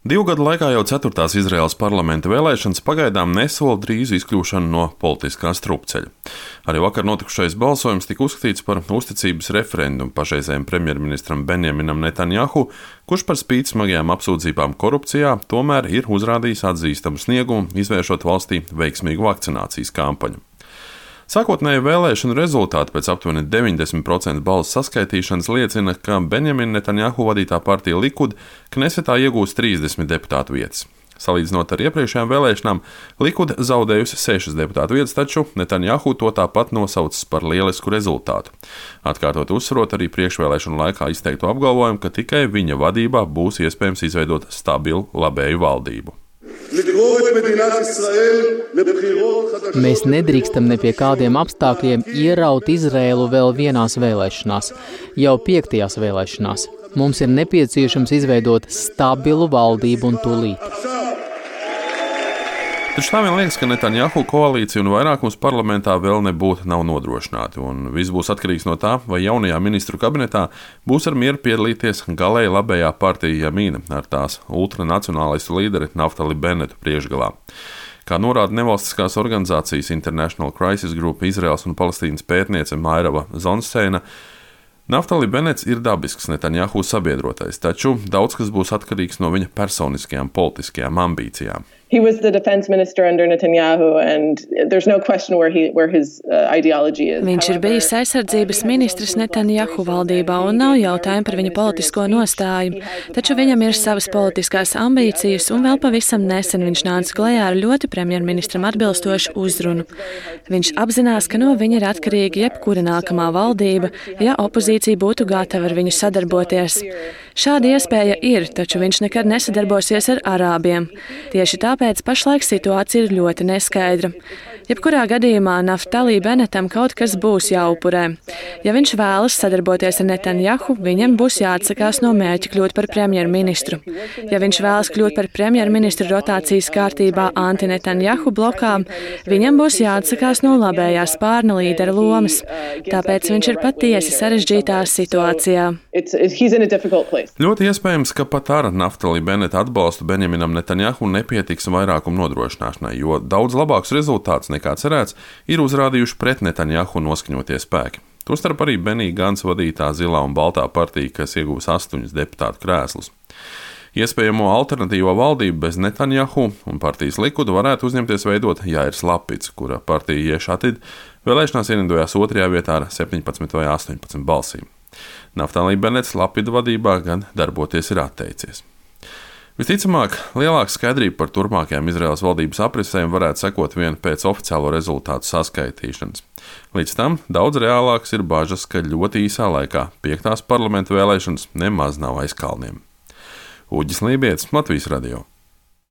2 gadu laikā jau 4. Izraēlas parlamenta vēlēšanas pagaidām nesola drīzu izkļūšanu no politiskā strupceļa. Arī vakar notikušais balsojums tika uzskatīts par uzticības referendumu pašreizējiem premjerministram Benjaminam Netanjahu, kurš par spīti smagajām apsūdzībām korupcijā tomēr ir uzrādījis atzīstamu sniegumu, izvēršot valstī veiksmīgu vakcinācijas kampaņu. Sākotnēji vēlēšanu rezultāti pēc aptuveni 90% balsu saskaitīšanas liecina, ka Benjamina Netanjahu vadītā partija Likud Knesetā iegūs 30 deputātu vietas. Salīdzinot ar iepriekšējām vēlēšanām, Likud zaudējusi 6 deputātu vietas, taču Netanjahu to tāpat nosaucis par lielisku rezultātu. Atkārtot uzsverot arī priekšvēlēšanu laikā izteikto apgalvojumu, ka tikai viņa vadībā būs iespējams izveidot stabilu labēju valdību. Mēs nedrīkstam ne pie kādiem apstākļiem ieraut Izraēlu vēl vienās vēlēšanās, jau 5. vēlēšanās. Mums ir nepieciešams izveidot stabilu valdību un tūlīt. Taču tā vien liekas, ka Netanjahu koalīcija un vairākums parlamentā vēl nebūtu nav nodrošināti, un viss būs atkarīgs no tā, vai jaunajā ministru kabinetā būs ar mieru piedalīties galēji labējā partija Jamīna ar tās ultranacionālistu līderi Naftali Benetu priekšgalā. Kā norāda nevalstiskās organizācijas International Crisis Group Izraels un Palestīnas pētniece Mairava Zonsteina, Naftali Benets ir dabisks Netanjahu sabiedrotais, taču daudz kas būs atkarīgs no viņa personiskajām politiskajām ambīcijām. He was the defense minister under Netanyahu, and there's no question where his ideology is. Viņš ir bijis aizsardzības ministrs Netanjahu valdībā un nav jautājumu par viņa politisko nostāju, taču viņam ir savas politiskās ambīcijas un vēl pavisam nesen viņš nāca klajā ar ļoti premjerministram atbilstošu uzrunu. Viņš apzinās, ka no viņa ir atkarīga jebkura nākamā valdība, ja opozīcija būtu gatava ar viņu sadarboties. Šāda iespēja ir, taču viņš nekad nesadarbosies ar arābiem. Tieši tāpēc pašlaik situācija ir ļoti neskaidra. Jebkurā gadījumā Naftali Benetam kaut kas būs jāupurē. Ja viņš vēlas sadarboties ar Netanjahu, viņam būs jāatsakās no mērķa kļūt par premjerministru. Ja viņš vēlas kļūt par premjerministru rotācijas kārtībā anti-Netanjahu blokām, viņam būs jāatsakās no labējā spārna līdera lomas. Tāpēc viņš ir patiesi sarežģītā situācijā. Ļoti iespējams, ka pat ar Naftali Beneta atbalstu Benjaminam Netanjahu nepietiks vairākumu nodrošināšanai, jo daudz labāks rezultāts nekā cerēts ir uzrādījuši pret Netanjahu noskaņotie spēki. Tostarp arī Benī Gants vadītā Zilā un Baltā partija, kas iegūs 8 deputātu krēslus. Iespējamo alternatīvo valdību bez Netanjahu un partijas Likudu varētu uzņemties veidot Jairs Lapidz, kura partija Ješatid vēlēšanās ienidojās 2. vietā ar 17 vai 18 balsīm. Naftali Benets Lapida vadībā gan darboties ir atteicies. Visticamāk, lielāka skaidrība par turpmākajām Izraēlas valdības aprisēm varētu sekot vien pēc oficiālo rezultātu saskaitīšanas. Līdz tam daudz reālāks ir bažas, ka ļoti īsā laikā 5. parlamenta vēlēšanas nemaz nav aiz kalniem. Uģis Lībietis, Latvijas radio.